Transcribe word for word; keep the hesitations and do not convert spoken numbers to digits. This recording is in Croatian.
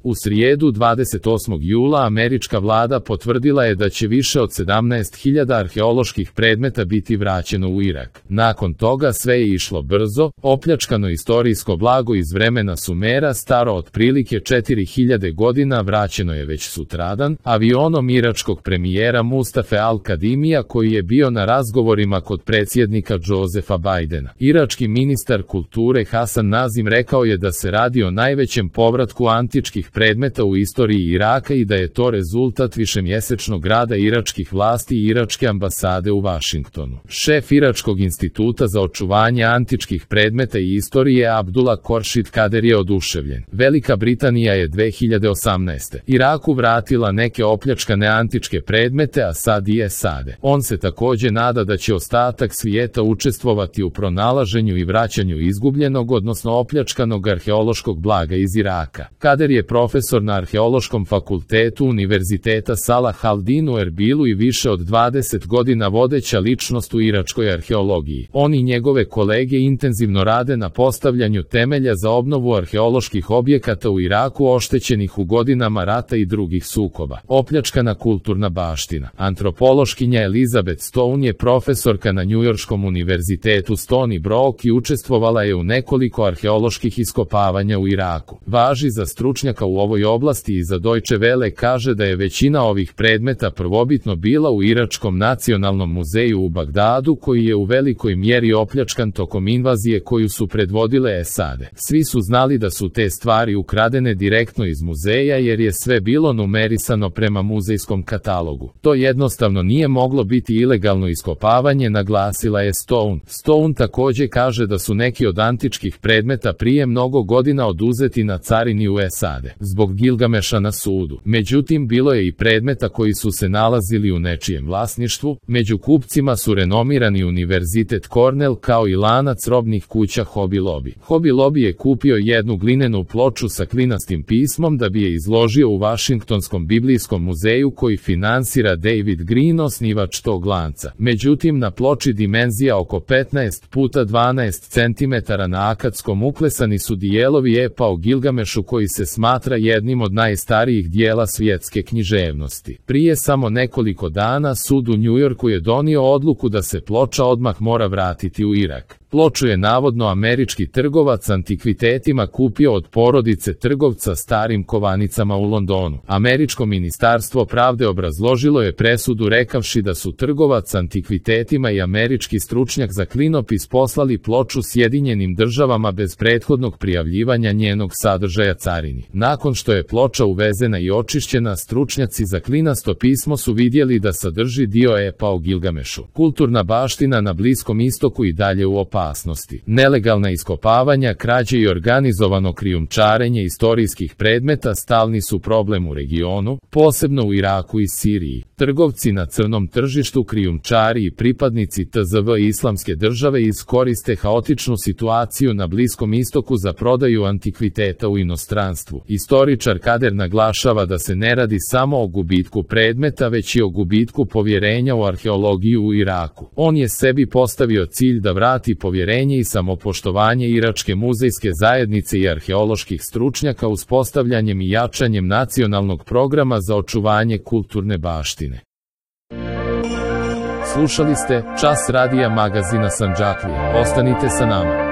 U srijedu dvadeset osmog jula američka vlada potvrdila je da će više od sedamnaest hiljada arheoloških predmeta biti vraćeno u Irak. Nakon toga sve je išlo brzo, opljačkano istorijsko blago iz vremena Sumera staro otprilike četiri hiljade godina vraćeno je već sutradan, avionom iračkog premijera Mustafe al-Kadimija koji je bio na razgovorima kod predsjednika Josefa Bidena. Irački ministar kulture Hasan Nazim rekao je da se radi o najvećem povratku antičkih predmeta u istoriji Iraka i da je to rezultat višemjesečnog rada iračkih vlasti i iračke ambasade u Vašingtonu. Šef Iračkog instituta za očuvanje antičkih predmeta i istorije Abdullah Khorshid Kader je oduševljen. Velika Britanija je dve hiljade osamnaeste. Iraku vratila neke opljačkane antičke predmete, a sad i SAD. On se također nada da će ostatak svijeta učestvovati u pronalaženju i vraćanju izgubljenog, odnosno opljačkanog arheološkog blaga iz Iraka. Kader je profesor na Arheološkom fakultetu Univerziteta Salah al-Din u Erbilu i više od dvadeset godina vodeća ličnost u iračkoj arheologiji. On i njegove kolege intenzivno rade na postavljanju temelja za obnovu arheoloških objekata u Iraku oštećenih u godinama rata i drugih sukoba. Opljačkana kulturna baština. Antropološkinja Elizabeth Stone je profesorka na Njujorškom univerzitetu Stony Brook i učestvovala je u nekoliko arheoloških iskopavanja u Iraku. Važi za stručnjaka u ovoj oblasti i za Deutsche Welle kaže da je većina ovih predmeta prvobitno bila u Iračkom nacionalnom muzeju u Bagdadu, koji je u velikoj mjeri opljačkan tokom invazije koju su predvodile SAD. Svi su znali da su te stvari ukradene direktno iz muzeja jer je sve bilo numerisano prema muzejskom katalogu. To jednostavno nije moglo biti ilegalno iskopavanje, naglasila je Stone. Stone također kaže da su neki od antičkih predmeta prije mnogo godina oduzeti na carini u SAD zbog Gilgameša na sudu. Međutim, bilo je i predmeta koji su se nalazili u nečijem vlasništvu. Među kupcima su renomirani Univerzitet Cornell kao i lanac robnih kuća Hobby Lobby. Hobby Lobby je kupio jednu glinenu ploču sa klinastim pismom da bi je izložio u Vašingtonskom biblijskom muzeju koji finansira David Green, osnivač tog lanca. Međutim, na ploči dimenzija oko petnaest puta dvanaest centimetara na akadskom uklesani su dijelovi epa o Gilgamešu koji se smatra jednim od najstarijih dijela svjetske književnosti. Prije samo nekoliko dana sud u Njujorku je donio odluku da se ploča odmah mora vratiti u Irak. Ploču je navodno američki trgovac antikvitetima kupio od porodice trgovca starim kovanicama u Londonu. Američko ministarstvo pravde obrazložilo je presudu rekavši da su trgovac antikvitetima i američki stručnjak za klinopis poslali ploču Sjedinjenim državama bez prethodnog prijavljivanja njenog sadržaja carini. Nakon što je ploča uvezena i očišćena, stručnjaci za klinasto pismo su vidjeli da sadrži dio epa o Gilgamešu. Kulturna baština na Bliskom istoku i dalje u opasnosti. Nelegalna iskopavanja, krađe i organizovano krijumčarenje istorijskih predmeta stalni su problem u regionu, posebno u Iraku i Siriji. Trgovci na crnom tržištu, krijumčari i pripadnici T Z V Islamske države iskoriste haotičnu situaciju na Bliskom istoku za prodaju antikviteta u inostranstvu. Istoričar Kader naglašava da se ne radi samo o gubitku predmeta, već i o gubitku povjerenja u arheologiju u Iraku. On je sebi postavio cilj da vrati povjerenje i samopoštovanje iračke muzejske zajednice i arheoloških stručnjaka uspostavljanjem i jačanjem nacionalnog programa za očuvanje kulturne baštine. Slušali ste Čas radija magazina Sandžaklija. Ostanite sa nama.